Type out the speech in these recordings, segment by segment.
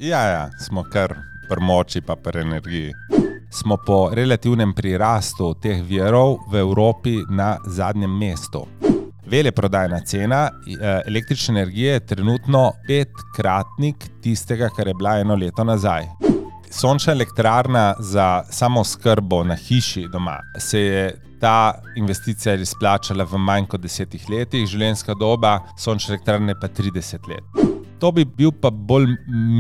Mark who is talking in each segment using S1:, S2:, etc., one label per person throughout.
S1: Ja, smo kar pri moči pa pri energiji. Smo po relativnem prirastu teh virov v Evropi na zadnjem mestu. Veleprodajna cena električne energije je trenutno 5-kratnik tistega, kar je bila eno leto nazaj. Sončna elektrarna za samooskrbo na hiši doma se je ta investicija izplačala v manj kot 10 letih, življenjska doba sončne elektrarne pa 30 let. To bi bil pa bolj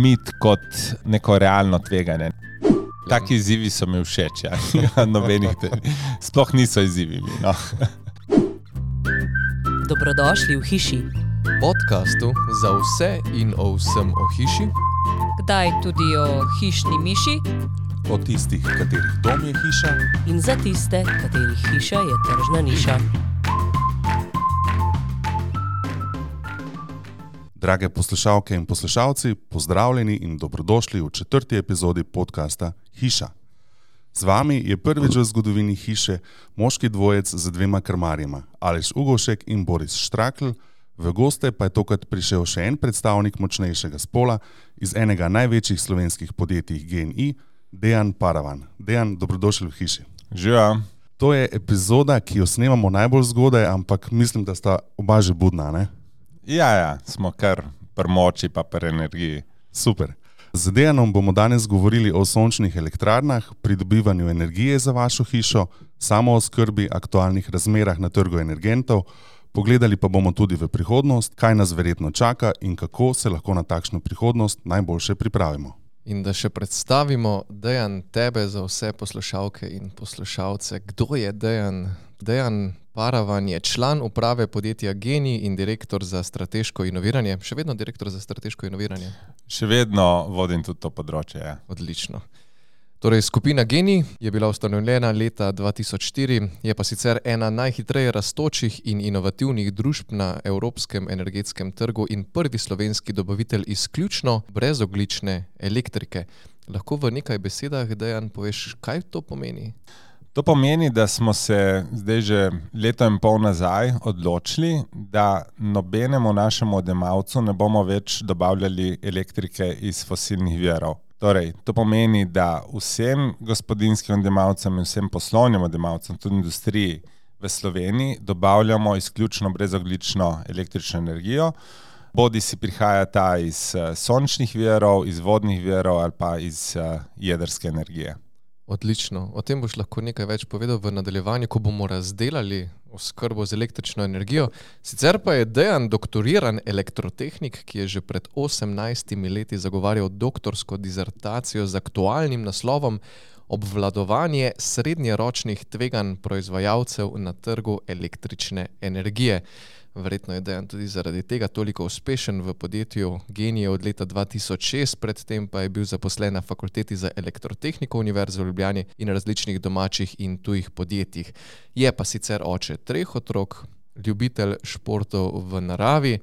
S1: mit kot neko realno tveganje. Taki izzivi so mi všeč, ja. Nobenih sploh niso izzivi. No.
S2: Dobrodošli v hiši.
S3: Podcastu za vse in o vsem o hiši.
S2: Kdaj tudi o hišni miši.
S4: O tistih, katerih dom je hiša.
S2: In za tiste, katerih hiša je tržna niša.
S4: Drage poslušalke in poslušalci, pozdravljeni in dobrodošli v 4. epizodi podcasta Hiša. Z vami je prvič v zgodovini hiše moški dvojec z 2 krmarjema, Aleš Ugovšek in Boris Štrakl. V goste pa je tokrat prišel še en predstavnik močnejšega spola iz enega največjih slovenskih podjetij GEN-I, Dejan Paravan. Dejan, dobrodošli v hiši.
S1: Živa.
S4: To je epizoda, ki jo snemamo najbolj zgodaj, ampak mislim, da sta oba že budna, ne?
S1: Ja, smo kar pri moči pa pri energiji.
S4: Super. Z Dejanom bomo danes govorili o sončnih elektrarnah, pridobivanju energije za vašo hišo, samooskrbi, aktualnih razmerah na trgu energentov, pogledali pa bomo tudi v prihodnost, kaj nas verjetno čaka in kako se lahko na takšno prihodnost najboljše pripravimo.
S3: In da še predstavimo, Dejan, tebe za vse poslušalke in poslušalce. Kdo je Dejan? Dejan Paravan je član uprave podjetja GEN-I in direktor za strateško inoviranje. Še vedno direktor za strateško inoviranje?
S1: Še vedno vodim tudi to področje, ja.
S3: Odlično. Torej, skupina GEN-I je bila ustanovljena leta 2004, je pa sicer ena najhitreje rastočih in inovativnih družb na evropskem energetskem trgu in prvi slovenski dobavitelj izključno brezogljične elektrike. Lahko v nekaj besedah, Dejan, poveš, kaj to pomeni?
S1: To pomeni, da smo se zdaj že leto in pol nazaj odločili, da nobenemu našemu odjemalcu ne bomo več dobavljali elektrike iz fosilnih virov. Torej, to pomeni, da vsem gospodinjskim odjemalcem in vsem poslovnim odjemalcem, tudi industriji v Sloveniji, dobavljamo izključno brezogljično električno energijo. Bodi si prihaja ta iz sončnih virov, iz vodnih virov ali pa iz jedrske energije.
S3: Odlično. O tem boš lahko nekaj več povedal v nadaljevanju, ko bomo razdelali oskrbo z električno energijo. Sicer pa je Dejan doktoriran elektrotehnik, ki je že pred 18 leti zagovarjal doktorsko dizertacijo z aktualnim naslovom Obvladovanje srednjeročnih tveganj proizvajalcev na trgu električne energije. Verjetno je Dejan tudi zaradi tega toliko uspešen v podjetju GEN-I od leta 2006, predtem pa je bil zaposlen na Fakulteti za elektrotehniko Univerze v Ljubljani in različnih domačih in tujih podjetjih. Je pa sicer oče 3 otrok, ljubitelj športov v naravi,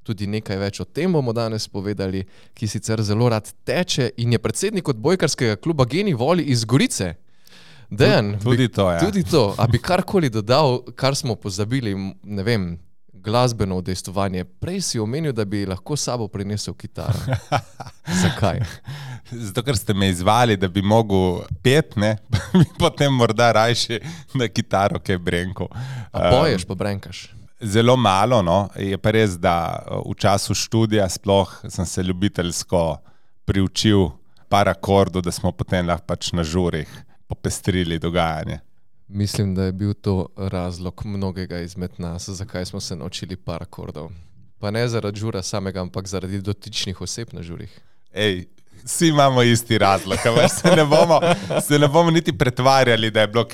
S3: tudi nekaj več o tem bomo danes povedali, ki sicer zelo rad teče in je predsednik odbojkarskega kluba GEN-I Voli iz Gorice. Dejan,
S1: tudi to, ja.
S3: Tudi to. A bi karkoli dodal, kar smo pozabili, ne vem, glasbeno udejstvovanje. Prej si omenil, da bi lahko s sabo prinesel kitaro. Zakaj?
S1: Zato, ker ste me izvali, da bi mogel pet, ne? Potem morda rajši na kitaro kaj brenko.
S3: A poješ pa brenkaš?
S1: Zelo malo, no. Je pa res, da v času študija sploh sem se ljubiteljsko priučil par akordov, da smo potem lahko pač na žurih popestrili dogajanje.
S3: Mislim, da je bil to razlog mnogega izmed nas, zakaj smo se naučili par akordov. Pa ne zaradi žura samega, ampak zaradi dotičnih oseb na žurih.
S1: Vsi imamo isti razlog, se ne bomo niti pretvarjali, da je bilo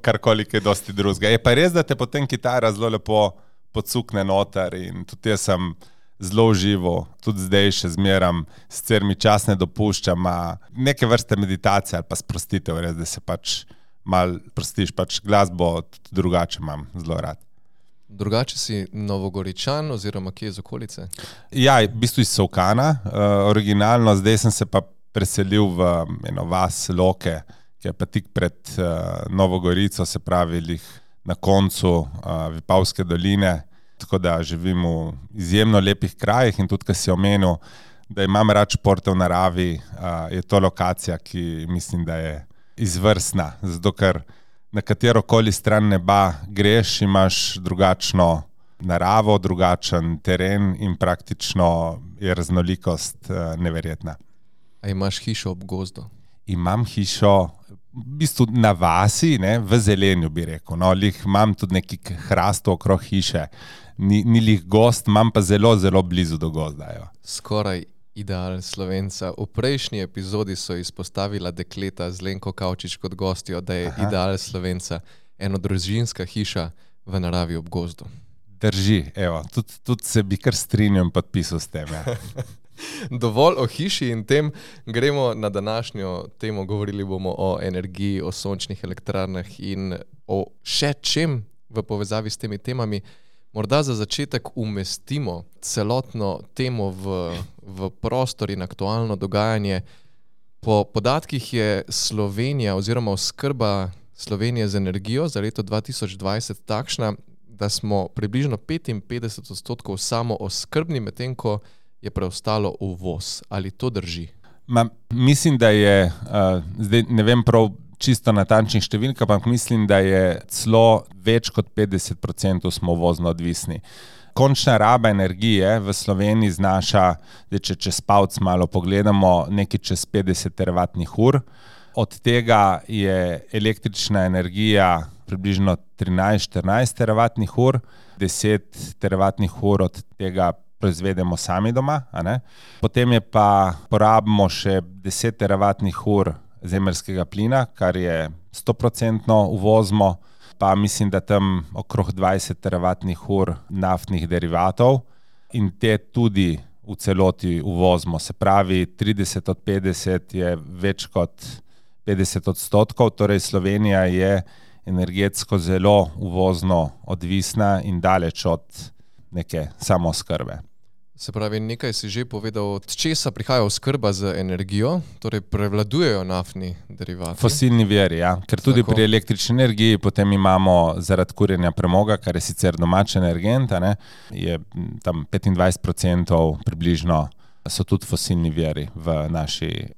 S1: karkoli kaj dosti drugega. Je pa res, da te potem kitara zelo lepo podsukne noter in tudi jaz sem zelo užival, tudi zdaj še zmeram, sicer mi čas ne dopuščam, neke vrste meditacije ali pa sprostitev, res, da se pač malo prostiš, pač glasbo drugače imam zelo rad.
S3: Drugače si Novogoričan oziroma kje iz okolice?
S1: Ja, v bistvu iz Solkana, originalno, zdaj sem se pa preselil v eno vas Loke, ki je pa tik pred Novo Gorico, se pravi na koncu Vipavske doline, tako da živim v izjemno lepih krajih in tudi, kar si omenil, da imam rad športe v naravi, je to lokacija, ki mislim, da je izvrstna. Zato, ker na katerokoli stran neba greš, imaš drugačno naravo, drugačen teren in praktično je raznolikost neverjetna.
S3: A imaš hišo ob gozdu?
S1: Imam hišo v bistvu na vasi, ne, v zelenju bi rekel. No, lih imam tudi neki hrastov okrog hiše. Ni lih gozd, imam pa zelo, zelo blizu do gozda. Jo.
S3: Skoraj ideal Slovenca. V prejšnji epizodi so izpostavila dekleta z Lenko Kavčič kot gostjo, da je ideal Slovenca enodružinska hiša v naravi ob gozdu.
S1: Drži, evo, tudi se bi kar strinjal in podpisal s tem. Ja.
S3: Dovolj o hiši in tem, gremo na današnjo temo. Govorili bomo o energiji, o sončnih elektrarnah in o še čem v povezavi s temi temami. Morda za začetek umestimo celotno temo v prostor in aktualno dogajanje. Po podatkih je Slovenija oziroma oskrba Slovenije z energijo za leto 2020 takšna, da smo približno 55% samooskrbni, medtem ko je preostalo uvoz. Ali to drži?
S1: Mislim, da je, zdaj ne vem prav čisto natančnih številk, ampak mislim, da je celo več kot 50% smo uvozno odvisni. Končna raba energije v Sloveniji znaša, da če čez palc malo pogledamo, nekaj čez 50 teravatnih ur. Od tega je električna energija približno 13-14 teravatnih ur, 10 teravatnih ur od tega proizvedemo sami doma, a ne? Potem je pa porabimo še 10 teravatnih ur zemeljskega plina, kar je 100% uvozimo, pa mislim, da tam okrog 20 teravatnih ur naftnih derivatov in te tudi v celoti uvozimo. Se pravi, 30 od 50 je več kot 50%, torej Slovenija je energetsko zelo uvozno odvisna in daleč od neke samooskrbe.
S3: Se pravi, nekaj si že povedal, od česa prihaja oskrba z energijo, torej prevladujejo naftni derivati.
S1: Fosilni viri, ja. Ker tudi pri električni energiji potem imamo zaradi kurjenja premoga, kar je sicer domač energent, ne, je tam 25% približno so tudi fosilni viri v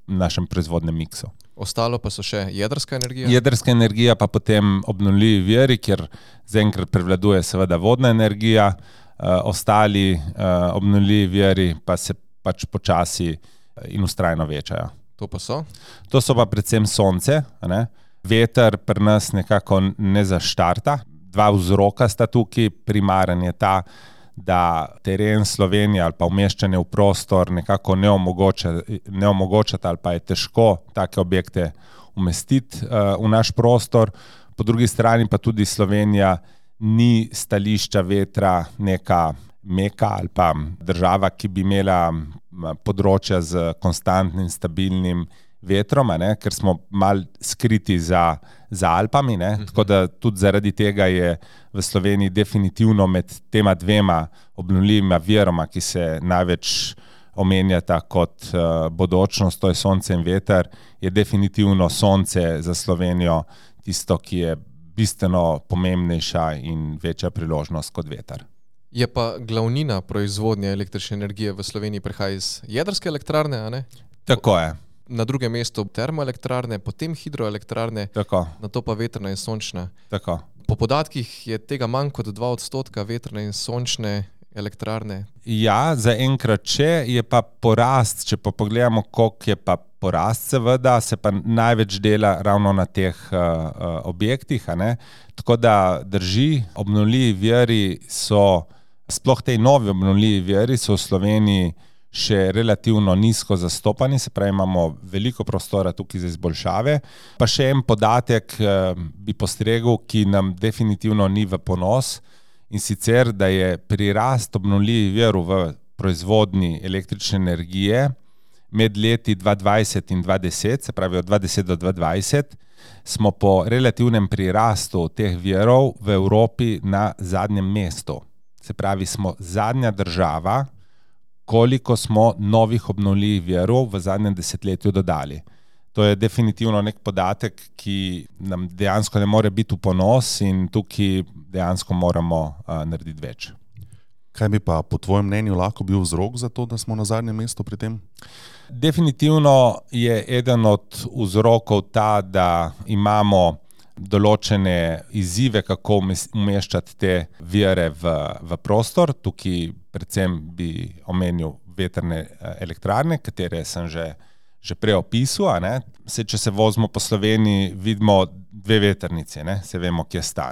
S1: našem proizvodnem miksu.
S3: Ostalo pa so še jedrska energija?
S1: Jedrska energija pa potem obnovljivi viri, kjer zaenkrat prevladuje seveda vodna energija, ostali obnovljivi viri pa se pač počasi in vztrajno večajo.
S3: To pa so?
S1: To so pa predvsem sonce, ne? Veter pri nas nekako ne zaštarta. Dva vzroka sta tukaj. Primaren je ta, da teren Slovenije ali pa umeščanje v prostor nekako ne omogočata ali pa je težko take objekte umestiti v naš prostor. Po drugi strani pa tudi Slovenija ni stališča vetra neka meka ali pa država, ki bi imela področja z konstantnim, stabilnim vetrom, ne? Ker smo mal skriti za Alpami, ne? Tako da tudi zaradi tega je v Sloveniji definitivno med tema dvema obnovljivima viroma, ki se največ omenjata kot bodočnost, to je sonce in veter, je definitivno sonce za Slovenijo tisto, ki je bistveno pomembnejša in večja priložnost kot veter.
S3: Je pa glavnina proizvodnje električne energije v Sloveniji prihaja iz jedrske elektrarne, a ne?
S1: Tako je.
S3: Na drugem mestu termoelektrarne, potem hidroelektrarne, nato pa vetrna in sončna.
S1: Tako.
S3: Po podatkih je tega manj kot 2% vetrne in sončne elektrarne.
S1: Ja, zaenkrat je pa porast, če pa pogledamo, koliko je pa porast, seveda, se pa največ dela ravno na teh objektih, a ne? Tako da drži, obnovljivi viri so, sploh tej novi obnovljivi viri so v Sloveniji še relativno nizko zastopani, se pravi, imamo veliko prostora tukaj za izboljšave. Pa še en podatek bi postregel, ki nam definitivno ni v ponos, in sicer, da je prirast obnovljivih virov v proizvodnji električne energije med leti 2020 in 2010, se pravi od 2010 do 2020, smo po relativnem prirastu teh virov v Evropi na zadnjem mestu. Se pravi, smo zadnja država, koliko smo novih obnovljivih virov v zadnjem desetletju dodali. To je definitivno nek podatek, ki nam dejansko ne more biti v ponos in tukaj dejansko moramo narediti več.
S4: Kaj bi pa po tvojem mnenju lahko bil vzrok za to, da smo na zadnjem mestu pri tem?
S1: Definitivno je eden od vzrokov ta, da imamo določene izzive, kako umeščati te vire v prostor. Tukaj predvsem bi omenil vetrne elektrarne, katere sem že prej opisal. Če se vozimo po Sloveniji, vidimo 2 vetrnice, se vemo, kje sta.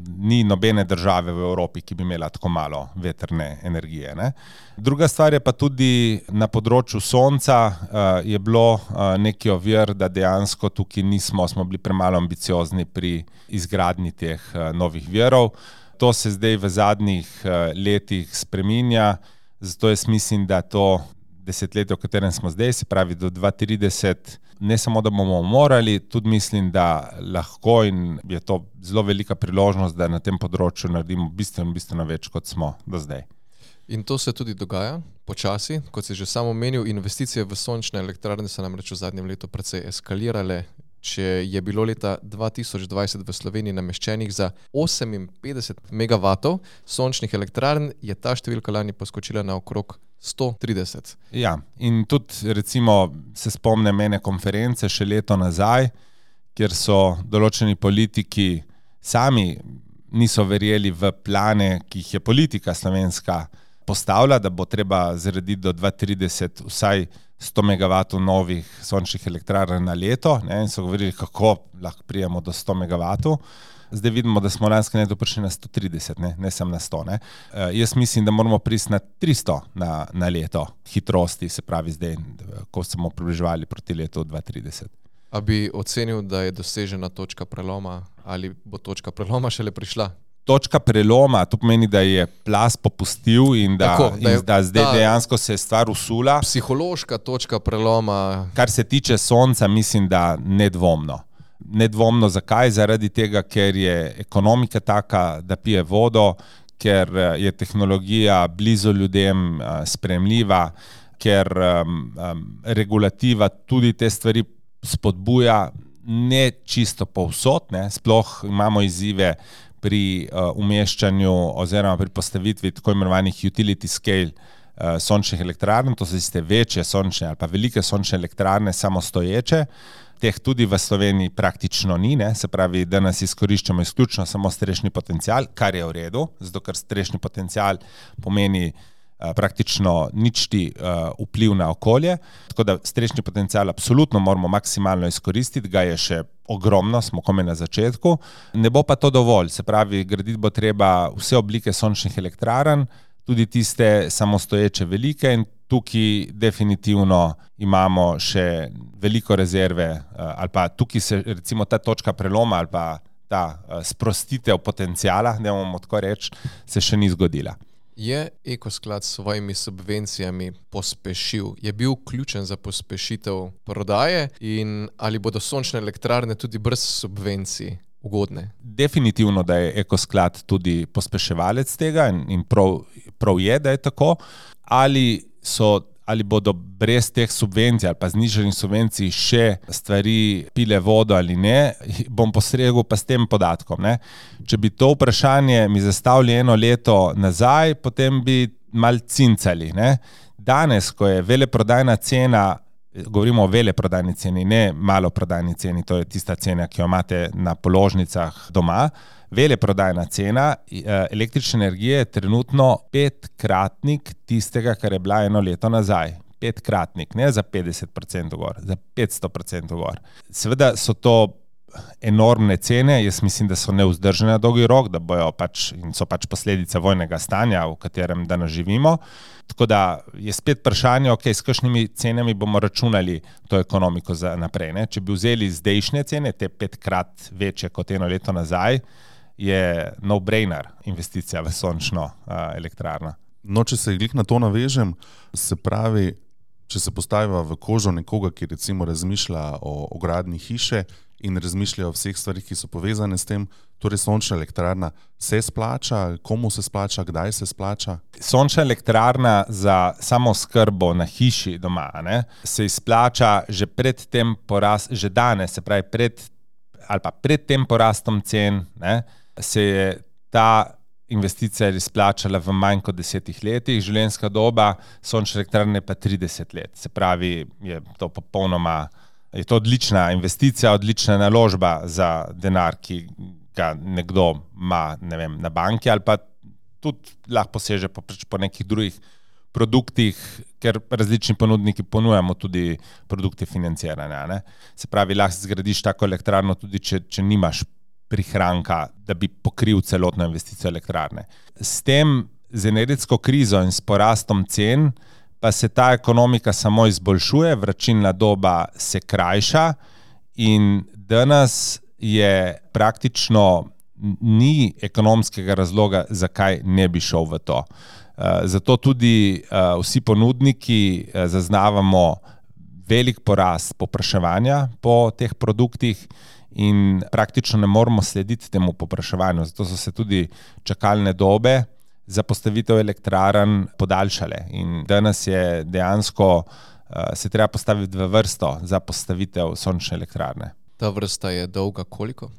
S1: Ni nobene države v Evropi, ki bi imela tako malo vetrne energije. Druga stvar je pa tudi na področju sonca je bilo neki ovir, da dejansko tukaj smo bili premalo ambiciozni pri izgradnji teh novih virov. To se zdaj v zadnjih letih spreminja, zato jaz mislim, da to desetletje, v katerem smo zdaj, se pravi do 2030, ne samo, da bomo morali, tudi mislim, da lahko in je to zelo velika priložnost, da na tem področju naredimo bistveno več, kot smo do zdaj.
S3: In to se tudi dogaja počasi, kot si že sam omenil, investicije v sončne elektrarne so namreč v zadnjem letu precej eskalirale. Če je bilo leta 2020 v Sloveniji nameščenih za 58 megavatov sončnih elektrarn, je ta številka lani poskočila na okrog 130.
S1: Ja, in tudi recimo se spomnim ene konference še leto nazaj, kjer so določeni politiki sami niso verjeli v plane, ki jih je politika slovenska postavila, da bo treba zgraditi do 2030 vsaj 100 megavatov novih sončnih elektrarn na leto, in so govorili, kako lahko prijemo do 100 megavatov. Zdaj vidimo, da smo lansko leto prišli na 130, ne samo na 100. Jaz mislim, da moramo priti na 300 na leto hitrosti, se pravi zdaj, ko smo približevali proti letu 2030.
S3: A bi ocenil, da je dosežena točka preloma ali bo točka preloma šele prišla?
S1: Točka preloma, to pomeni, da je plaz popustil in da zdaj dejansko se je stvar usula.
S3: Psihološka točka preloma.
S1: Kar se tiče sonca, mislim, da nedvomno. Nedvomno zakaj? Zaradi tega, ker je ekonomika taka, da pije vodo, ker je tehnologija blizu ljudem sprejemljiva, ker regulativa tudi te stvari spodbuja, ne čisto povsod, sploh imamo izzive pri umeščanju oziroma pri postavitvi tako imenovanih utility scale sončnih elektrarn, to so tiste večje sončne ali pa velike sončne elektrarne samostoječe. Teh tudi v Sloveniji praktično ni, se pravi, da nas izkoriščamo izključno samo strešni potencial, kar je v redu, zato ker strešni potencial pomeni praktično ničti vpliv na okolje, tako da strešni potencial absolutno moramo maksimalno izkoristiti, ga je še ogromno, smo komaj na začetku, ne bo pa to dovolj, se pravi, graditi bo treba vse oblike sončnih elektrarn, tudi tiste samostoječe velike in tukaj definitivno imamo še veliko rezerve, ali pa tukaj se recimo ta točka preloma ali pa ta sprostitev potenciala, ne bomo tako reči, se še ni zgodila.
S3: Je Ekosklad s svojimi subvencijami pospešil? Je bil ključen za pospešitev prodaje in ali bodo sončne elektrarne tudi brez subvencij ugodne?
S1: Definitivno, da je Ekosklad tudi pospeševalec tega in prav je, da je tako. Ali bodo brez teh subvencij ali pa znižanih subvencij še stvari pile vodo ali ne, bom postregel pa s tem podatkom. Če bi to vprašanje mi zastavili 1 leto nazaj, potem bi mal cincali. Danes, ko je veleprodajna cena, govorimo o veleprodajni ceni, ne maloprodajni ceni, to je tista cena, ki jo imate na položnicah doma, veleprodajna cena električne energije je trenutno 5-kratnik tistega, kar je bila 1 leto nazaj. 5-kratnik, ne za 50% gor, za 500% gor. Seveda so to enormne cene, jaz mislim, da so nevzdržne na dolgi rok, da bojo in so posledica vojnega stanja, v katerem danes živimo. Tako da je spet vprašanje, s kakšnimi cenami bomo računali to ekonomiko za naprej. Če bi vzeli zdajšnje cene, te 5-krat večje kot 1 leto nazaj, je no-brainer investicija v sončno elektrarno.
S4: No, če se glih na to navežem, se pravi, če se postaviva v kožo nekoga, ki recimo razmišlja o gradnji hiše in razmišlja o vseh stvarih, ki so povezane s tem, torej sončna elektrarna se splača, komu se splača, kdaj se splača?
S1: Sončna elektrarna za samooskrbo na hiši doma se izplača že pred tem že danes, se pravi pred tem porastom cen, se je ta investicija izplačala v manj kot 10 letih, življenjska doba sončne elektrarne pa 30 let. Se pravi, je to odlična investicija, odlična naložba za denar, ki ga nekdo ima, ne vem, na banki ali pa tudi lahko poseže po nekih drugih produktih, ker različni ponudniki ponujamo tudi produkte financiranja. Ne? Se pravi, lahko zgradiš tako elektrarno tudi, če nimaš prihranka, da bi pokril celotno investicijo elektrarne. S tem, z energetsko krizo in s porastom cen, pa se ta ekonomika samo izboljšuje, vračilna doba se krajša in danes je praktično ni ekonomskega razloga, zakaj ne bi šel v to. Zato tudi vsi ponudniki zaznavamo velik porast povpraševanja po teh produktih in praktično ne moremo slediti temu povpraševanju. Zato so se tudi čakalne dobe za postavitev elektrarn podaljšale in danes je dejansko se treba postaviti v vrsto za postavitev sončne elektrarne.
S3: Ta vrsta je dolga koliko?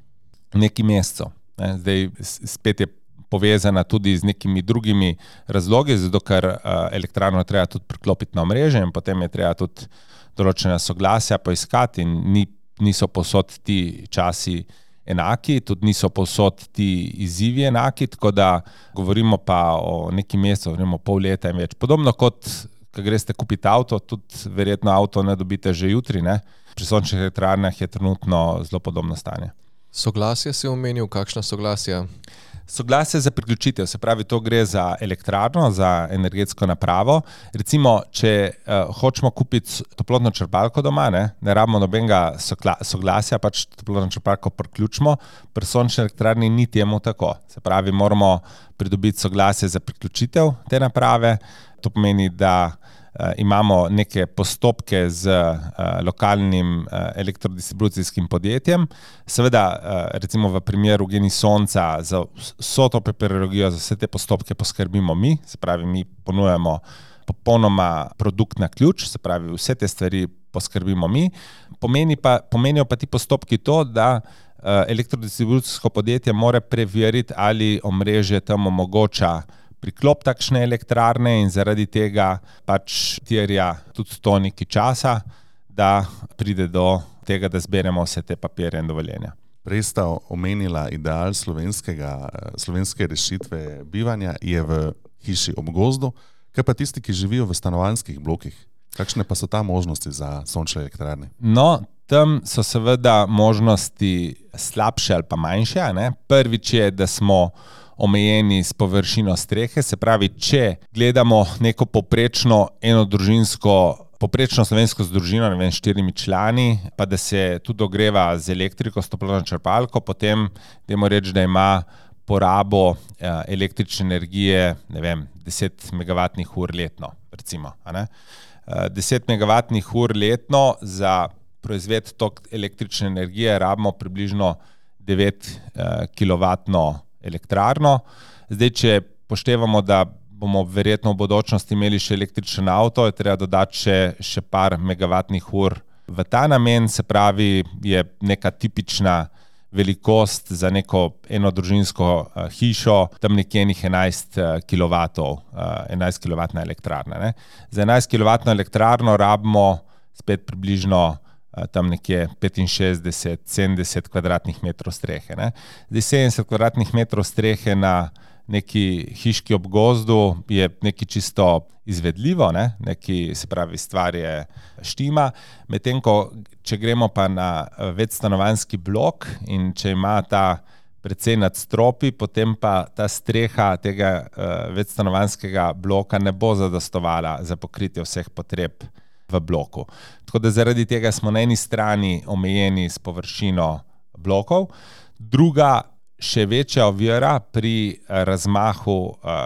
S1: Nekaj mesecev. Zdaj spet je povezana tudi z nekimi drugimi razlogi, zato ker elektrarno treba tudi priklopiti na omrežje in potem je treba tudi določena soglasja poiskati in niso povsod ti časi enaki, tudi niso povsod ti izzivi enaki, tako da govorimo pa o nekaj mesecev, govorimo pol leta in več. Podobno kot, ko greste kupiti avto, tudi verjetno avto ne dobite že jutri, ne? Pri sončnih elektrarnah je trenutno zelo podobno stanje.
S3: Soglasje si omenil, kakšna soglasja?
S1: Soglasje za priključitev, se pravi, to gre za elektrarno, za energetsko napravo. Recimo, če hočemo kupiti toplotno črpalko doma, ne rabimo nobenega soglasja, pač toplotno črpalko priključimo, pri sončni elektrarni ni temu tako. Se pravi, moramo pridobiti soglasje za priključitev te naprave. To pomeni, da imamo neke postopke z lokalnim elektrodistribucijskim podjetjem. Seveda, recimo v primeru Genij Sonca, za vso to papirologijo, za vse te postopke poskrbimo mi, se pravi, mi ponujamo popolnoma produkt na ključ, se pravi, vse te stvari poskrbimo mi. Pomenijo pa ti postopki to, da elektrodistribucijsko podjetje mora preveriti, ali omrežje tam omogoča priklop takšne elektrarne in zaradi tega pač terja tudi to nekaj časa, da pride do tega, da zberemo vse te papirje in dovoljenja.
S4: Prej sta omenila ideal slovenske rešitve bivanja je v hiši ob gozdu, kaj pa tisti, ki živijo v stanovanjskih blokih? Kakšne pa so ta možnosti za sončne elektrarne?
S1: No, tam so seveda možnosti slabše ali pa manjše. Ne? Prvič je, da smo omejeni s površino strehe, se pravi, če gledamo neko poprečno slovensko družino, ne vem, 4 člani, pa da se tudi ogreva z elektriko, s toplotno črpalko, potem dajmo reči, da ima porabo električne energije, ne vem, 10 megavatnih ur letno, recimo. 10 megavatnih ur letno za proizved tok električne energije rabimo približno 9 kilovatno elektrarno. Zdaj, če poštevamo, da bomo verjetno v bodočnosti imeli še električen avto, je treba dodati še par megavatnih ur v ta namen, se pravi, je neka tipična velikost za neko enodružinsko hišo, tam nekje 11 kilovatov, 11 kilovatna elektrarna. Ne? Za 11 kilovatno elektrarno rabimo spet približno tam nekje 65-70 kvadratnih metrov strehe. Ne? Zdaj 70 kvadratnih metrov strehe na neki hiški ob gozdu je nekaj čisto izvedljivo, ne? Neki, se pravi, stvar je štima, medtem ko če gremo pa na večstanovanjski blok in če ima ta precej nadstropij, potem pa ta streha tega večstanovanjskega bloka ne bo zadostovala za pokritje vseh potreb v bloku. Tako da zaradi tega smo na eni strani omejeni s površino blokov, druga še večja ovira pri razmahu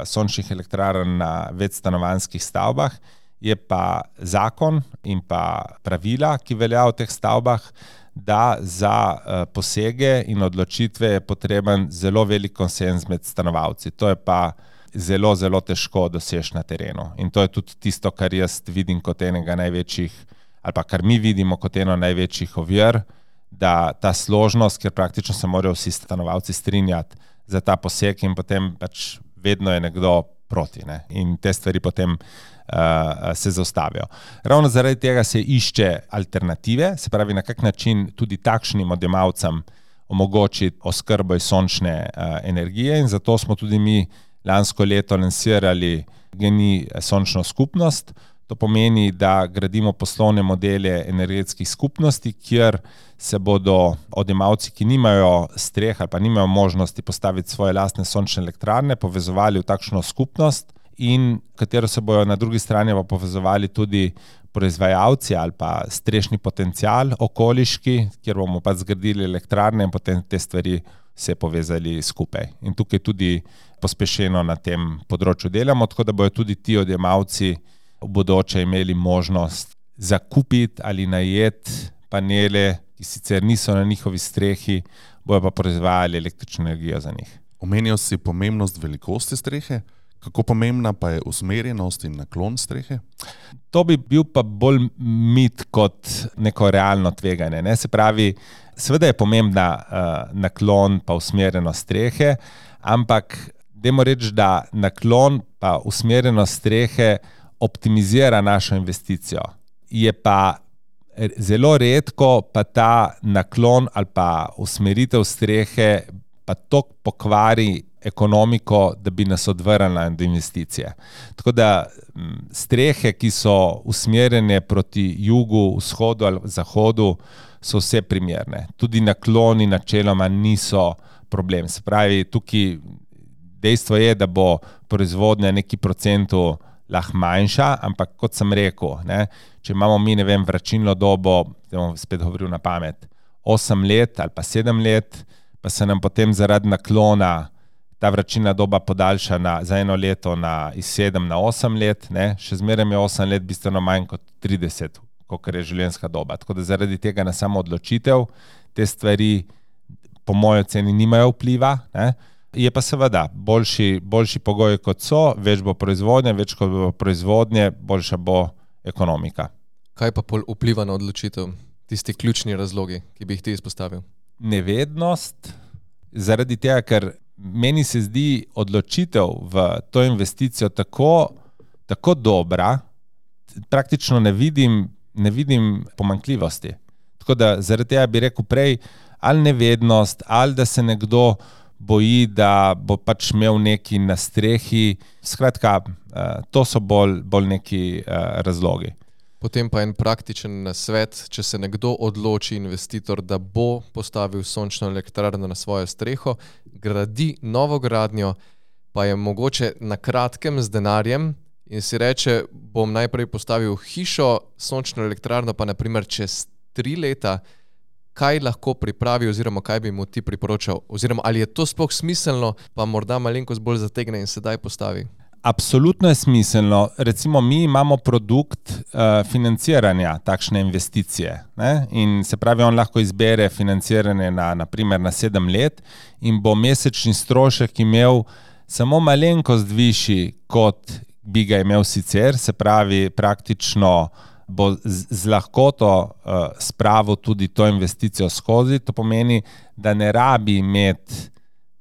S1: sončnih elektrarn na večstanovanjskih stavbah je pa zakon in pa pravila, ki veljajo v teh stavbah, da za posege in odločitve je potreben zelo velik konsenz med stanovalci. To je pa zelo, zelo težko doseči na terenu. In to je tudi tisto, kar jaz vidim kot enega največjih, ali pa kar mi vidimo kot eno največjih ovir, da ta složnost, ker praktično se morajo vsi stanovalci strinjati, za ta poseg in potem pač vedno je nekdo proti, ne? In te stvari potem se zaustavijo. Ravno zaradi tega se išče alternative, se pravi, na kak način tudi takšnim odjemalcem omogočiti oskrbo iz sončne energije in zato smo tudi mi lansko leto lansirali GEN-I sončno skupnost. To pomeni, da gradimo poslovne modele energetskih skupnosti, kjer se bodo odjemalci, ki nimajo streh ali pa nimajo možnosti postaviti svoje lastne sončne elektrarne, povezovali v takšno skupnost in katero se bojo na drugi strani pa povezovali tudi proizvajalci ali pa strešni potencial okoliški, kjer bomo pa zgradili elektrarne in potem te stvari se povezali skupaj. In tukaj tudi pospešeno na tem področju delamo, tako da bojo tudi ti odjemalci v bodoče imeli možnost zakupiti ali najeti panele, ki sicer niso na njihovi strehi, bojo pa proizvajali električno energijo za njih.
S4: Omenil si pomembnost velikosti strehe, kako pomembna pa je usmerjenost in naklon strehe?
S1: To bi bil pa bolj mit kot neko realno tveganje, ne? Se pravi, seveda je pomembna naklon pa usmerjenost strehe, ampak dajmo reči, da naklon pa usmerjenost strehe optimizira našo investicijo. Je pa zelo redko pa ta naklon ali pa usmeritev strehe pa toliko pokvari ekonomiko, da bi nas odvrnila od investicije. Tako da strehe, ki so usmerjene proti jugu, vzhodu ali zahodu, so vse primerne. Tudi nakloni načeloma niso problem. Se pravi, tukaj dejstvo je, da bo proizvodnja neki procentu lahko manjša, ampak kot sem rekel, ne, če imamo mi, ne vem, vračilno dobo, da bom spet govoril na pamet, 8 let ali pa 7 let, pa se nam potem zaradi naklona ta vračilna doba podaljša za 1 leto iz 7 na 8 let, ne, še zmeraj je 8 let bistveno manj kot 30, kolikor je življenjska doba. Tako da zaradi tega na samo odločitev te stvari po moji oceni nimajo vpliva, ne. Je pa seveda boljši pogoji kot so, več bo proizvodnje, več kot bo proizvodnje, boljša bo ekonomika.
S3: Kaj pa pol vpliva na odločitev? Tisti ključni razlogi, ki bi jih ti izpostavil?
S1: Nevednost, zaradi tega, ker meni se zdi odločitev v to investicijo tako dobra, praktično ne vidim pomanjkljivosti. Tako da zaradi tega bi rekel prej, ali nevednost, ali da se nekdo boji, da bo pač imel neki na strehi. Skratka, to so bolj neki razlogi.
S3: Potem pa en praktičen nasvet, če se nekdo odloči, investitor, da bo postavil sončno elektrarno na svojo streho, gradi novo gradnjo, pa je mogoče na kratkem z denarjem in si reče, bom najprej postavil hišo, sončno elektrarno pa naprimer čez 3 leta, kaj lahko pripravi oziroma kaj bi mu ti priporočal? Oziroma, ali je to sploh smiselno, pa morda malenkost bolj zategne in sedaj postavi?
S1: Absolutno je smiselno. Recimo, mi imamo produkt financiranja takšne investicije, ne? In se pravi, on lahko izbere financiranje naprimer na 7 let in bo mesečni strošek imel samo malenkost višji, kot bi ga imel sicer, se pravi, praktično bo z lahkoto spravil tudi to investicijo skozi. To pomeni, da ne rabi imeti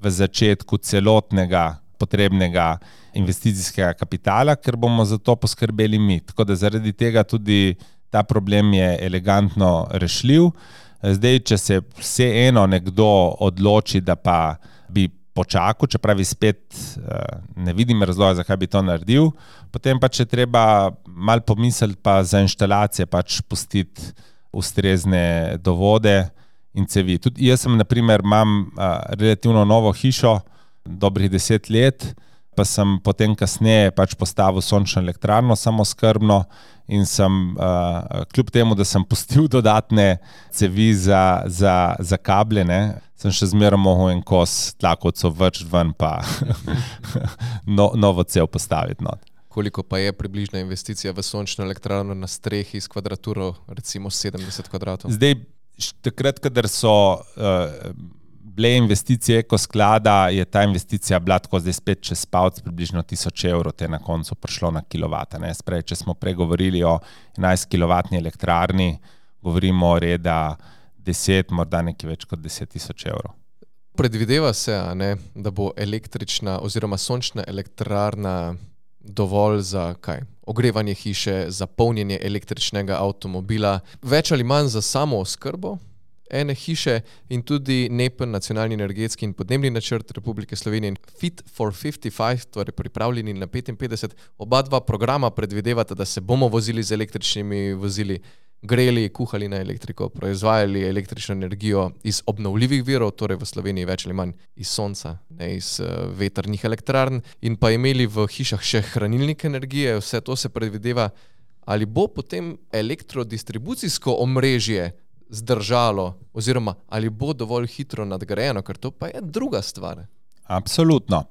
S1: v začetku celotnega potrebnega investicijskega kapitala, ker bomo za to poskrbeli mi. Tako da zaradi tega tudi ta problem je elegantno rešljiv. Zdaj, če se vseeno nekdo odloči, da pa bi počakal, čeprav spet ne vidim razloga, zakaj bi to naredil, potem pa če treba malo pomisliti pa za inštalacije pač pustiti ustrezne dovode in cevi. Tudi jaz sem, naprimer, imam relativno novo hišo, dobrih 10 let, pa sem potem kasneje pač postavil sončno elektrarno samoskrbno in sem, kljub temu, da sem pustil dodatne cevi za kable, ne, sem še zmeraj mogel en kos tlakovcev vrč ven pa novo cev postaviti. No.
S3: Koliko pa je približna investicija v sončno elektrarno na strehi s kvadraturo, recimo 70 kvadratov?
S1: Zdaj, takrat, kadar so bile investicije ekosklada, je ta investicija bila tako zdaj spet čez palc približno 1000 evrov, te na koncu prišlo na kilovata. Ne? Sprej, če smo pregovorili o 11 kilovatni elektrarni, govorimo o reda 10, morda nekaj več kot 10 000 evrov.
S3: Predvideva se, da bo električna oziroma sončna elektrarna dovolj za ogrevanje hiše, za polnjenje električnega avtomobila, več ali manj za samo oskrbo ene hiše in tudi NEPN, Nacionalni energetski in podnebni načrt Republike Slovenije in Fit for 55, torej pripravljeni na 55, oba dva programa predvidevata, da se bomo vozili z električnimi vozili, greli, kuhali na elektriko, proizvajali električno energijo iz obnovljivih virov, torej v Sloveniji več ali manj iz sonca, ne iz vetrnih elektrarn, in pa imeli v hišah še hranilnik energije. Vse to se predvideva. Ali bo potem elektrodistribucijsko omrežje zdržalo oziroma ali bo dovolj hitro nadgrajeno, ker to pa je druga stvar.
S1: Absolutno.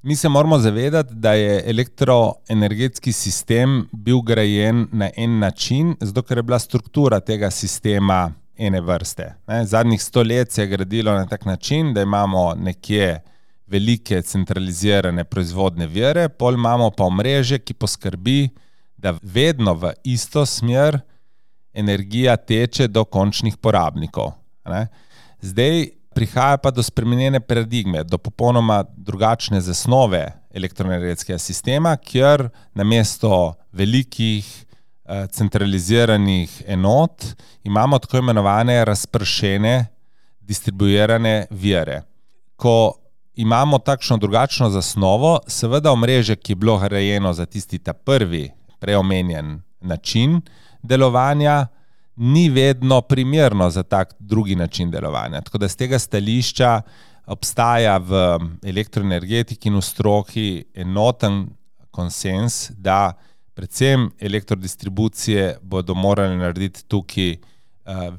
S1: Mi se moramo zavedati, da je elektroenergetski sistem bil grajen na en način, zato ker je bila struktura tega sistema ene vrste. Zadnjih 100 let se je gradilo na tak način, da imamo nekje velike centralizirane proizvodne vire, pol imamo pa omrežje, ki poskrbi, da vedno v isto smer energija teče do končnih porabnikov. Zdaj prihaja pa do spremenjene paradigme, do popolnoma drugačne zasnove elektroenergetskega sistema, kjer namesto velikih centraliziranih enot imamo tako imenovane razpršene distribuirane vire. Ko imamo takšno drugačno zasnovo, seveda omrežje, ki je bilo grajeno za tisti ta prvi preomenjen način delovanja, ni vedno primerno za tak drugi način delovanja. Tako da z tega stališča obstaja v elektroenergetiki in v stroki enoten konsens, da predvsem elektrodistribucije bodo morali narediti tukaj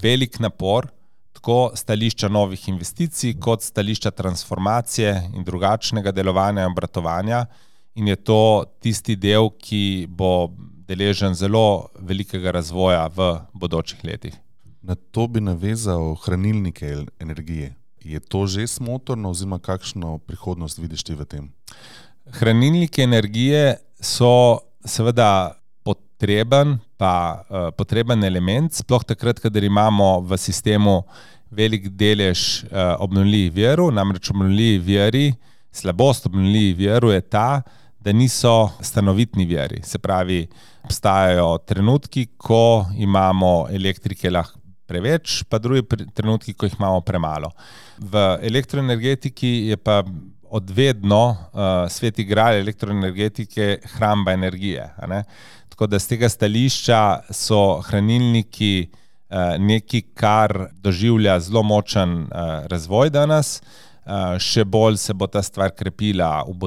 S1: velik napor, tako stališča novih investicij, kot stališča transformacije in drugačnega delovanja in obratovanja. In je to tisti del, ki bo deležen zelo velikega razvoja v bodočih letih.
S4: Na to bi navezal hranilnike energije. Je to že smotrno oziroma kakšno prihodnost vidiš ti v tem?
S1: Hranilniki energije so seveda potreben element, sploh takrat, kadar imamo v sistemu velik delež obnovljivih virov, namreč obnovljivi viri, slabost obnovljivih virov je ta, da niso stanovitni viri. Se pravi, obstajajo trenutki, ko imamo elektrike lahko preveč, pa drugi trenutki, ko jih imamo premalo. V elektroenergetiki je pa odvedno sveti gral elektroenergetike hramba energije. Tako da z tega stališča so hranilniki nekaj, kar doživlja zelo močen razvoj danes. Še bolj se bo ta stvar krepila v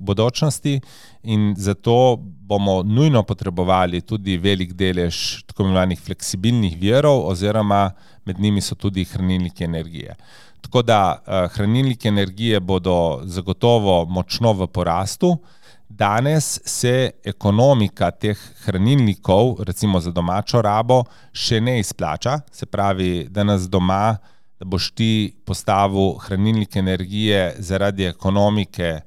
S1: bodočnosti in zato bomo nujno potrebovali tudi velik delež tako imenovanih fleksibilnih virov oziroma med njimi so tudi hranilniki energije. Tako da hranilniki energije bodo zagotovo močno v porastu. Danes se ekonomika teh hranilnikov, recimo za domačo rabo, še ne izplača. Se pravi, danes doma da boš ti postavil hranilnik energije zaradi ekonomike,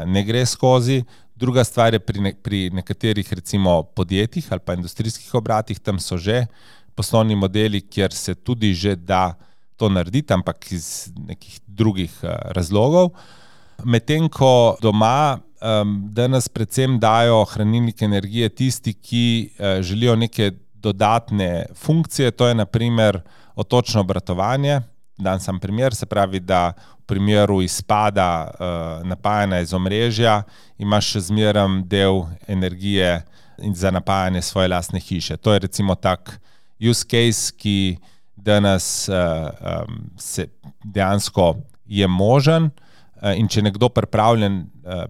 S1: ne gre skozi. Druga stvar je pri nekaterih recimo podjetjih ali pa industrijskih obratih, tam so že poslovni modeli, kjer se tudi že da to narediti, ampak iz nekih drugih razlogov. Medtem ko doma danes predvsem dajo hranilnik energije tisti, ki želijo neke dodatne funkcije, to je na primer odtočno obratovanje. Dan sam primer, se pravi, da v primeru izpada napajanja iz omrežja imaš še zmeraj del energije za napajanje svoje lastne hiše. To je recimo tak use case, ki danes se dejansko je možen in če nekdo pripravljen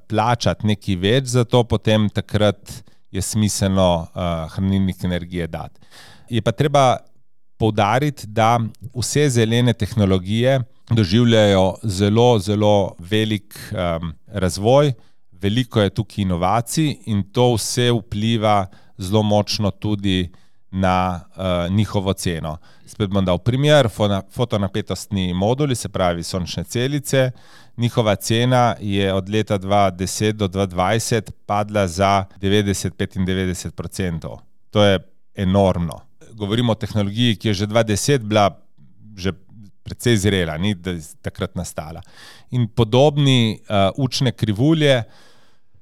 S1: plačati nekaj več za to, potem takrat je smiselno hranilnik energije dati. Je pa treba poudariti, da vse zelene tehnologije doživljajo zelo, zelo velik razvoj, veliko je tukaj inovacij in to vse vpliva zelo močno tudi na njihovo ceno. Spet bom dal primer, fotonapetostni moduli, se pravi sončne celice, njihova cena je od leta 2010 do 2020 padla za 90-95%. To je enormno. Govorimo o tehnologiji, ki je že 2010 bila že precej zrela, ni da je takrat nastala. In podobni učne krivulje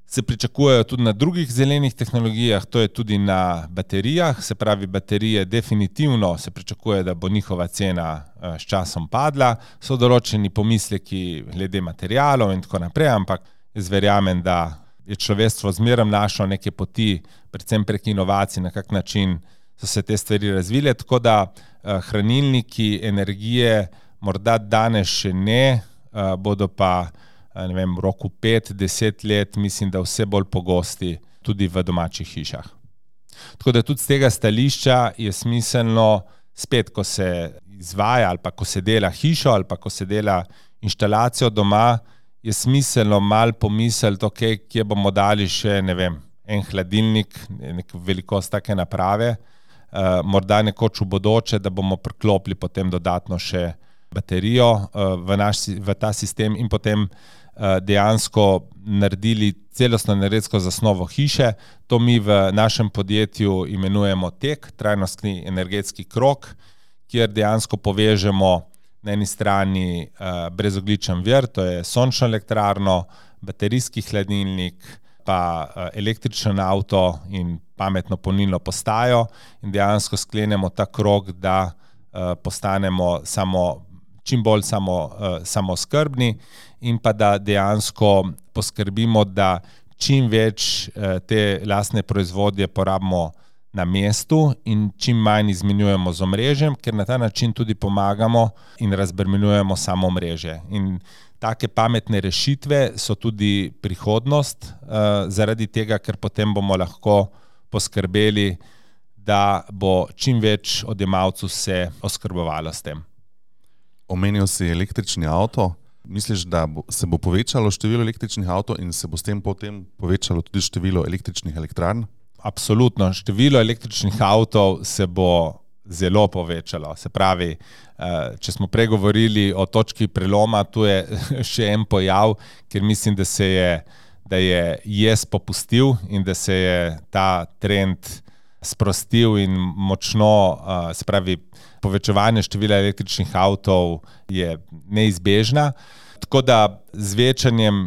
S1: se pričakujejo tudi na drugih zelenih tehnologijah, to je tudi na baterijah, se pravi baterije definitivno se pričakuje, da bo njihova cena s časom padla, so določeni pomisleki glede materialov in tako naprej, ampak jaz verjamem, da je človeštvo zmeraj našlo neke poti, predvsem prek inovacij, na kak način so se te stvari razvile, tako da hranilniki energije morda danes še ne, bodo pa ne vem, v roku 5-10 let, mislim, da vse bolj pogosti tudi v domačih hišah. Tako da tudi z tega stališča je smiselno, spet, ko se izvaja ali pa ko se dela hišo ali pa ko se dela inštalacijo doma, je smiselno malo pomisliti, okay, kje bomo dali še, ne vem, en hladilnik, neko velikost take naprave, morda nekoč v bodoče, da bomo priklopili potem dodatno še baterijo v ta sistem in potem dejansko naredili celostno energetsko zasnovo hiše. To mi v našem podjetju imenujemo TEK, trajnostni energetski krog, kjer dejansko povežemo na eni strani brezogljičen vir, to je sončno elektrarno, baterijski hladilnik, pa električen avto in pametno polnilno postajo in dejansko sklenemo ta krog, da postanemo čim bolj samooskrbni in pa da dejansko poskrbimo, da čim več te lastne proizvodje porabimo na mestu in čim manj izmenjujemo z omrežjem, ker na ta način tudi pomagamo in razbremenjujemo samo omrežje. In take pametne rešitve so tudi prihodnost, zaradi tega, ker potem bomo lahko poskrbeli, da bo čim več odjemalcev se oskrbovalo s tem.
S4: Omenil si električni avto. Misliš, da se bo povečalo število električnih avtov in se bo s tem potem povečalo tudi število električnih elektrarn?
S1: Absolutno. Število električnih avtov se bo zelo povečalo. Se pravi, če smo prej govorili o točki preloma, tu je še en pojav, ker mislim, da je popustil in da se je ta trend sprostil in močno, se pravi, povečevanje števila električnih avtov je neizbežna. Tako da z večanjem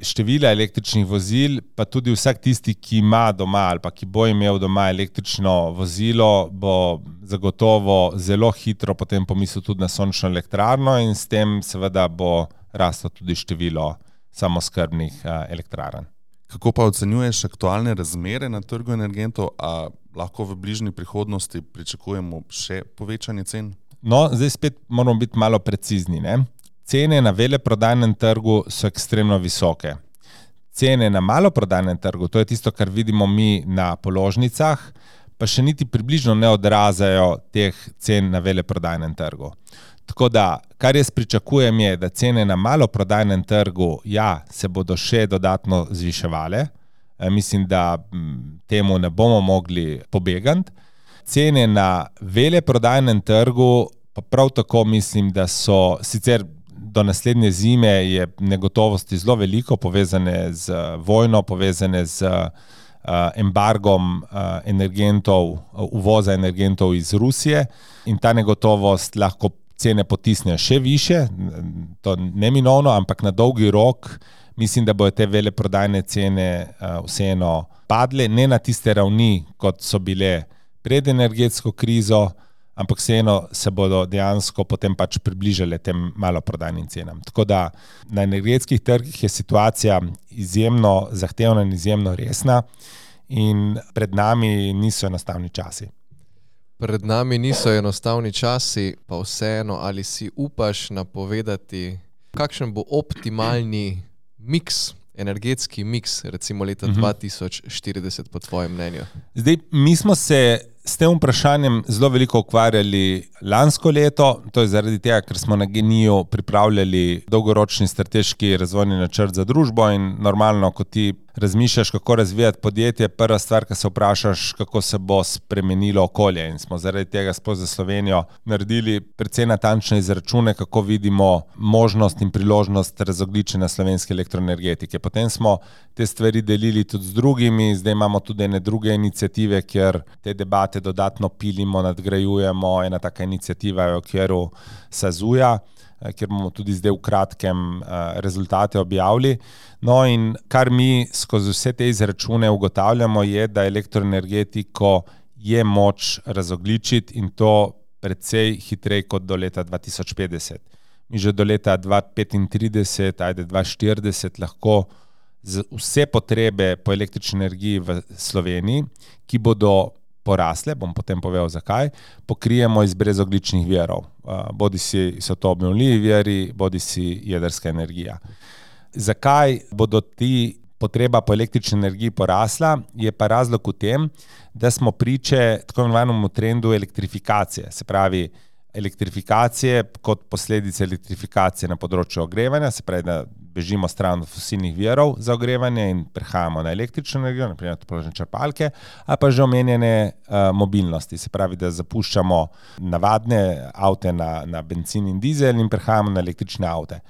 S1: števila električnih vozil, pa tudi vsak tisti, ki ima doma ali pa ki bo imel doma električno vozilo, bo zagotovo zelo hitro potem pomislil tudi na sončno elektrarno in s tem seveda bo raslo tudi število samooskrbnih elektrarn.
S4: Kako pa ocenjuješ aktualne razmere na trgu energentov, a lahko v bližnji prihodnosti pričakujemo še povečanje cen?
S1: No, zdaj spet moramo biti malo precizni, ne? Cene na veleprodajnem trgu so ekstremno visoke. Cene na maloprodajnem trgu, to je tisto, kar vidimo mi na položnicah, pa še niti približno ne odražajo teh cen na veleprodajnem trgu. Tako da, kar jaz pričakujem je, da cene na maloprodajnem trgu, se bodo še dodatno zviševale. Mislim, da temu ne bomo mogli pobegati. Cene na veleprodajnem trgu pa prav tako mislim, da so sicer do naslednje zime je negotovosti zelo veliko, povezane z vojno, povezane z embargom energentov, uvoza energentov iz Rusije in ta negotovost lahko cene potisnejo še više, to neminovno, ampak na dolgi rok mislim, da bodo te veleprodajne cene vseeno padle, ne na tiste ravni, kot so bile pred energetsko krizo, ampak vseeno se bodo dejansko potem pač približale tem maloprodajnim cenam. Tako da na energetskih trgih je situacija izjemno zahtevna in izjemno resna in pred nami niso enostavni časi.
S3: Pred nami niso enostavni časi, pa vseeno, ali si upaš napovedati, kakšen bo optimalni miks, energetski miks, recimo leta 2040 po tvojem mnenju?
S1: Zdaj, mi smo se s tem vprašanjem zelo veliko ukvarjali lansko leto, to je zaradi tega, ker smo na GEN-I pripravljali dolgoročni strateški razvojni načrt za družbo in normalno, ko ti razmišljaš, kako razvijati podjetje, prva stvar, ki se vprašaš, kako se bo spremenilo okolje. In smo zaradi tega sploh za Slovenijo naredili precej natančne izračune, kako vidimo možnost in priložnost razogljičenja slovenske elektroenergetike. Potem smo te stvari delili tudi z drugimi, zdaj imamo tudi ene druge iniciative, kjer te debate dodatno pilimo, nadgrajujemo. Ena taka iniciativa je v okviru SAZU-ja, kjer bomo tudi zdaj v kratkem rezultate objavili. No in kar mi skozi vse te izračune ugotavljamo je, da elektroenergetiko je moč razogljičiti in to precej hitreje kot do leta 2050. Mi že do leta 2035, 2040 lahko z vse potrebe po električni energiji v Sloveniji, ki bodo porasle, bom potem povedal zakaj, pokrijemo iz brezogljičnih virov. Bodisi so to obnovljivi viri, bodisi jedrska energija. Zakaj bodo ti potreba po električni energiji porasla, je pa razlog v tem, da smo priče tako imenovanemu trendu elektrifikacije. Se pravi, elektrifikacije kot posledice elektrifikacije na področju ogrevanja, se pravi, da bežimo stran od fosilnih virov za ogrevanje in prehajamo na električno energijo, naprimer topložne črpalke, ali pa že omenjene mobilnosti, se pravi, da zapuščamo navadne avte na bencin in dizel in prehajamo na električne avte.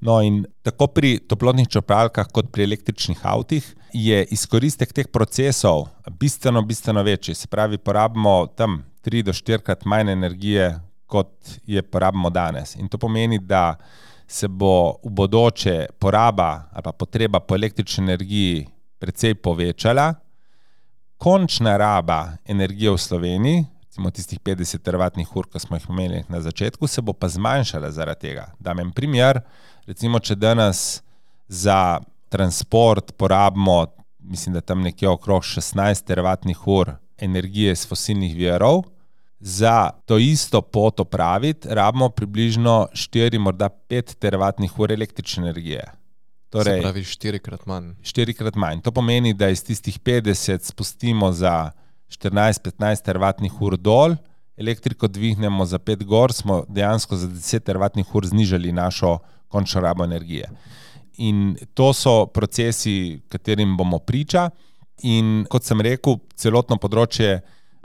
S1: No in tako pri toplotnih črpalkah kot pri električnih avtih je izkoristek teh procesov bistveno večji, se pravi, porabimo tam 3 do 4-krat manj energije, kot je porabimo danes. In to pomeni, da se bo v bodoče poraba ali pa potreba po električni energiji precej povečala, končna raba energije v Sloveniji, recimo tistih 50 teravatnih ur, ko smo jih imeli na začetku, se bo pa zmanjšala zaradi tega. Dam en primer, recimo, če danes za transport porabimo, mislim, da tam nekje okrog 16 teravatnih ur energije iz fosilnih virov, za to isto pot opraviti rabimo približno 4, morda 5 teravatnih ur električne energije.
S3: Torej, se pravi 4-krat manj.
S1: 4-krat manj. To pomeni, da iz tistih 50 spustimo za 14-15 teravatnih ur dol, elektriko dvignemo za 5 gor, smo dejansko za 10 teravatnih ur znižali našo končno rabo energije. In to so procesi, katerim bomo priča. In kot sem rekel, celotno področje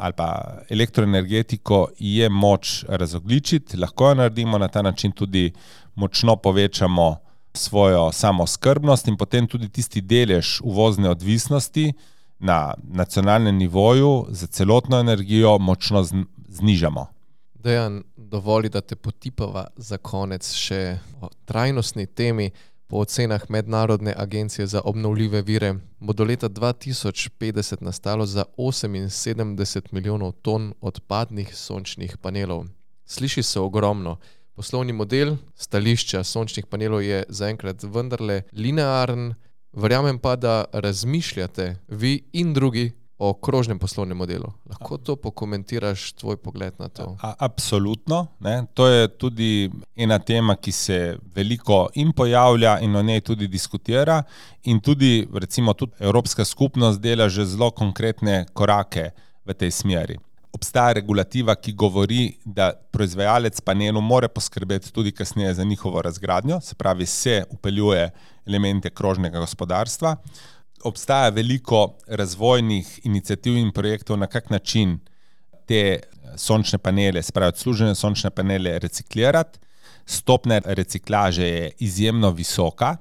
S1: ali pa elektroenergetiko je moč razogljičiti, lahko jo naredimo na ta način, tudi močno povečamo svojo samooskrbnost in potem tudi tisti delež uvozne odvisnosti na nacionalnem nivoju za celotno energijo močno znižamo.
S3: Dejan, dovoli, da te potipava za konec še o trajnostni temi. Po ocenah Mednarodne agencije za obnovljive vire bo do leta 2050 nastalo za 78 milijonov ton odpadnih sončnih panelov. Sliši se ogromno. Poslovni model stališča sončnih panelov je zaenkrat vendarle linearen, verjamem pa, da razmišljate vi in drugi o krožnem poslovnem modelu. Lahko to pokomentiraš, tvoj pogled na to?
S1: Absolutno. Ne? To je tudi ena tema, ki se veliko in pojavlja in o njej tudi diskutira in tudi, recimo, tudi Evropska skupnost dela že zelo konkretne korake v tej smeri. Obstaja regulativa, ki govori, da proizvajalec panelov mora poskrbeti tudi kasneje za njihovo razgradnjo, se pravi, se vpeljuje elemente krožnega gospodarstva. Obstaja veliko razvojnih iniciativ in projektov, na kak način te sončne panele, se pravi odslužene sončne panele, reciklirati. Stopnja reciklaže je izjemno visoka.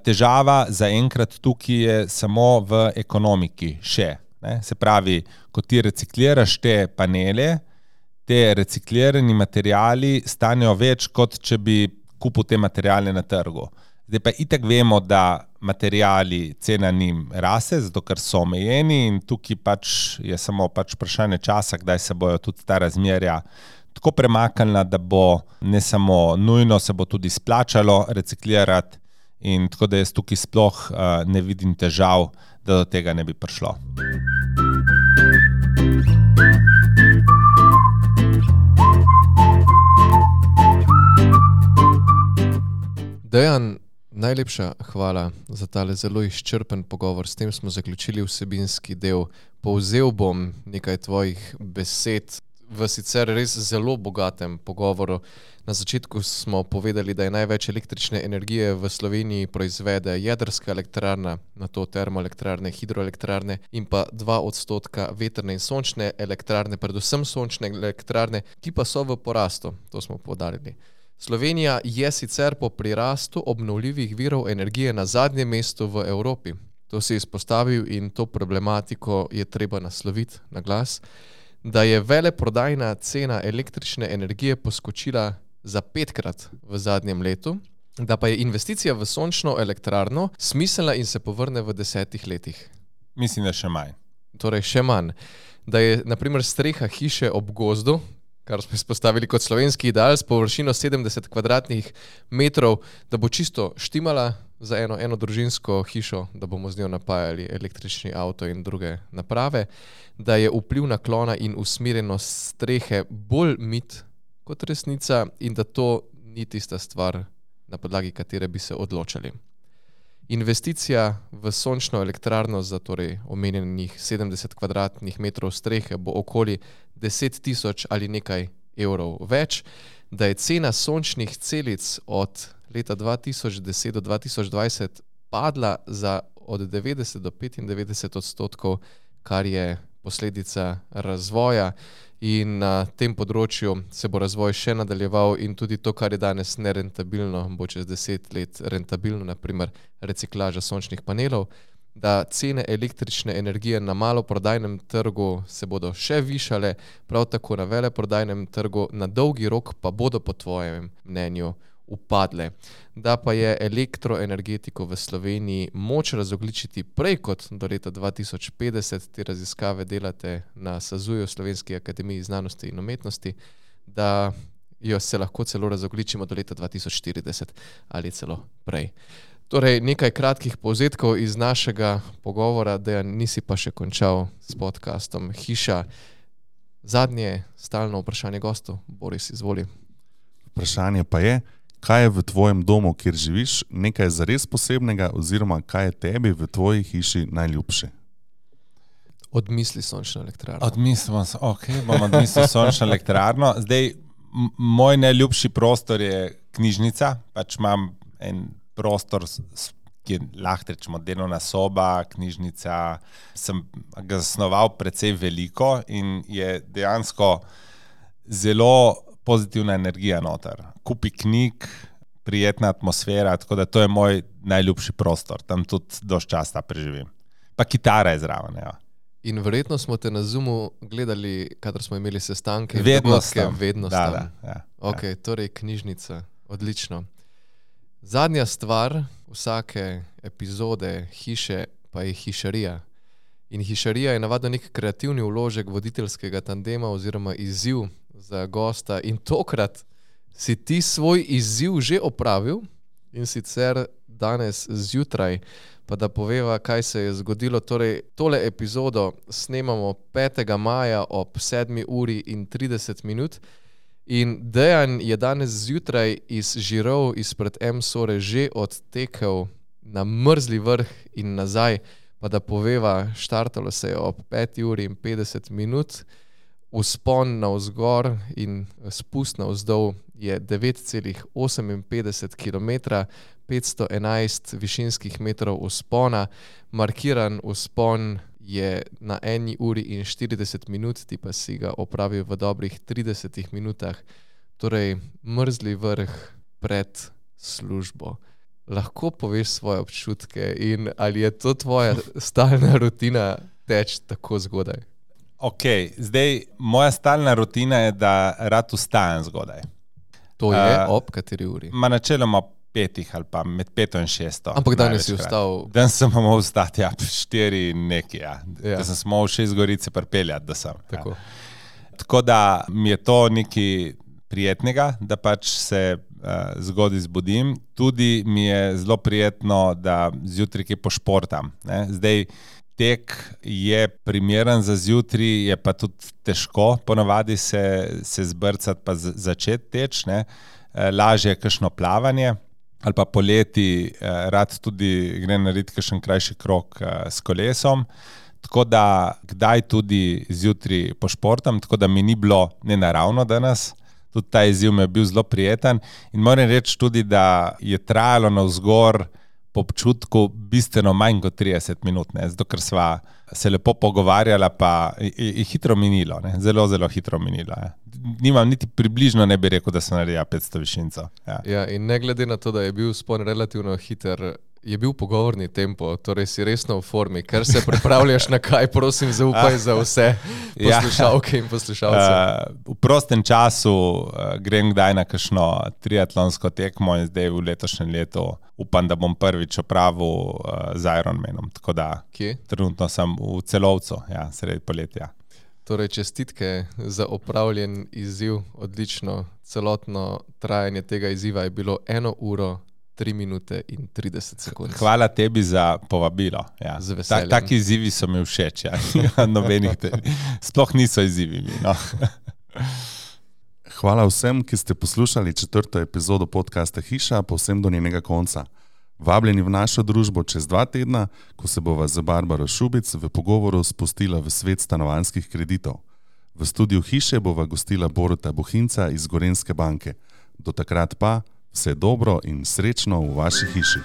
S1: Težava zaenkrat tukaj je samo v ekonomiki še. Ne? Se pravi, ko ti recikliraš te panele, te reciklirani materiali stanejo več, kot če bi kupil te materiale na trgu. Zdaj pa itak vemo, da materiali, cena njim raste, zato ker so omejeni in tukaj pač je samo vprašanje časa, kdaj se bojo tudi ta razmerja tako premaknila, da bo ne samo nujno, se bo tudi splačalo reciklirati in tako da jaz tukaj sploh ne vidim težav, da do tega ne bi prišlo.
S3: Dejan, najlepša hvala za tale zelo izčrpen pogovor. S tem smo zaključili vsebinski del. Povzel bom nekaj tvojih besed. v sicer res zelo bogatem pogovoru. Na začetku smo povedali, da je največ električne energije v Sloveniji proizvede jedrska elektrarna, nato termoelektrarne, hidroelektrarne in pa 2% vetrne in sončne elektrarne, predvsem sončne elektrarne, ki pa so v porastu, to smo poudarili. Slovenija je sicer po prirastu obnovljivih virov energije na zadnjem mestu v Evropi. To si izpostavil in to problematiko je treba nasloviti na glas, da je veleprodajna cena električne energije poskočila za 5-krat v zadnjem letu, da pa je investicija v sončno elektrarno smiselna in se povrne v 10 letih.
S1: Mislim, da še manj.
S3: Torej še manj. Da je na primer streha hiše ob gozdu, kar smo izpostavili kot slovenski ideal, s površino 70 kvadratnih metrov, da bo čisto štimala za eno družinsko hišo, da bomo z njo napajali električni avto in druge naprave, da je vpliv naklona in usmerjenost strehe bolj mit kot resnica in da to ni tista stvar, na podlagi katere bi se odločali. Investicija v sončno elektrarno za torej omenjenih 70 kvadratnih metrov strehe bo okoli 10.000 ali nekaj evrov več, da je cena sončnih celic od leta 2010 do 2020 padla za od 90 do 95%, kar je posledica razvoja in na tem področju se bo razvoj še nadaljeval in tudi to, kar je danes nerentabilno, bo čez 10 let rentabilno, naprimer reciklaža sončnih panelov, da cene električne energije na maloprodajnem trgu se bodo še višale, prav tako na veleprodajnem trgu, na dolgi rok pa bodo po tvojem mnenju upadle. Da pa je elektroenergetiko v Sloveniji moč razogljičiti prej kot do leta 2050, te raziskave delate na SAZU-ju, Slovenski akademiji znanosti in umetnosti, da jo se lahko celo razogljičimo do leta 2040 ali celo prej. Torej, nekaj kratkih povzetkov iz našega pogovora, Dejan, nisi pa še končal s podcastom Hiša. Zadnje stalno vprašanje gostov, Boris, izvoli.
S4: Vprašanje pa je, kaj je v tvojem domu, kjer živiš, nekaj zares posebnega oziroma kaj je tebi v tvoji hiši najljubše?
S3: Odmisli sončno elektrarno.
S1: Bom odmislil sončno elektrarno. Zdaj, moj najljubši prostor je knjižnica, pač imam en prostor, ki je lahko rečemo delovna soba, knjižnica, sem ga zasnoval precej veliko in je dejansko zelo pozitivna energija noter. Kupi knjig, prijetna atmosfera, tako da to je moj najljubši prostor. Tam tudi dosti časa preživim. Pa kitara je zraven, ja.
S3: In verjetno smo te na Zoomu gledali, kadar smo imeli sestanke.
S1: Vedno sem.
S3: Da.
S1: Ja.
S3: Ok, torej knjižnica. Odlično. Zadnja stvar vsake epizode Hiše pa je hišarija. In hišarija je navadno nek kreativni vložek voditeljskega tandema oziroma izziv za gosta in tokrat si ti svoj izziv že opravil in sicer danes zjutraj, pa da poveva, kaj se je zgodilo. Torej, tole epizodo snemamo 5. maja ob 7:30 in Dejan je danes zjutraj iz Žirov izpred M-Sore že odtekel na Mrzli vrh in nazaj, pa da poveva, štartalo se je ob 5:50, vzpon navzgor in spust navzdol je 9,58 km, 511 višinskih metrov vzpona, markiran vzpon je na 1:40, ti pa si ga opravil v dobrih 30 minutah, torej Mrzli vrh pred službo. Lahko poveš svoje občutke in ali je to tvoja stalna rutina teč tako zgodaj?
S1: Ok, zdaj moja stalna rutina je, da rad vstajam zgodaj.
S3: To je ob kateri uri?
S1: Načeloma 5 ali pa med 5 in 6.
S3: Ampak danes si vstal?
S1: Danes sem mogel vstati, 4 in nekaj, ja. Da sem mogel 6 Gorice pripeljati, da sem.
S3: Tako.
S1: Ja. Tako da mi je to nekaj prijetnega, da pač se zgodaj zbudim. Tudi mi je zelo prijetno, da zjutraj kaj pošportam. Ne? Zdaj, tek je primeren za zjutraj, je pa tudi težko ponavadi se zbrcati pa začeti teč. Ne? Lažje je kakšno plavanje ali pa poleti rad tudi grem narediti kakšen krajši krog s kolesom. tako da kdaj tudi zjutraj pošportam, tako da mi ni bilo nenaravno danes. Tudi ta izziv mi je bil zelo prijeten in moram reči tudi, da je trajalo navzgor po občutku bistveno manj kot 30 minut, ne? Zato ker sva se lepo pogovarjala, pa je hitro minilo, ne? Zelo, zelo hitro minilo. Ja. Nimam niti približno, ne bi rekel, da sem naredila 500 višincev.
S3: Ja, in ne glede na to, da je bil spon relativno hiter, je bil pogovorni tempo, torej si resno v formi, ker se pripravljaš na kaj, prosim, zaupaj za vse poslušalke in poslušalce.
S1: V prostem času grem kdaj na kakšno triatlonsko tekmo in zdaj v letošnjem letu upam, da bom prvič opravil z Ironmanom. Tako da
S3: Kje?
S1: Trenutno sem v Celovcu, sredi poletja.
S3: Torej, čestitke za opravljen izziv, odlično. Celotno trajanje tega izziva je bilo 1 uro, 3 minute in 30 sekund.
S1: Hvala tebi za povabilo. Ja.
S3: Z veseljem.
S1: Taki izzivi so mi všeč. Ja. Sploh niso izzivi. No.
S4: Hvala vsem, ki ste poslušali 4. epizodo podcasta Hiša, povsem do njenega konca. Vabljeni v našo družbo čez 2 tedna, ko se bova z Barbaro Šubic v pogovoru spustila v svet stanovanjskih kreditov. V studiu Hiše bova gostila Boruta Bohinca iz Gorenjske banke. Do takrat pa vse dobro in srečno v vaši hiši.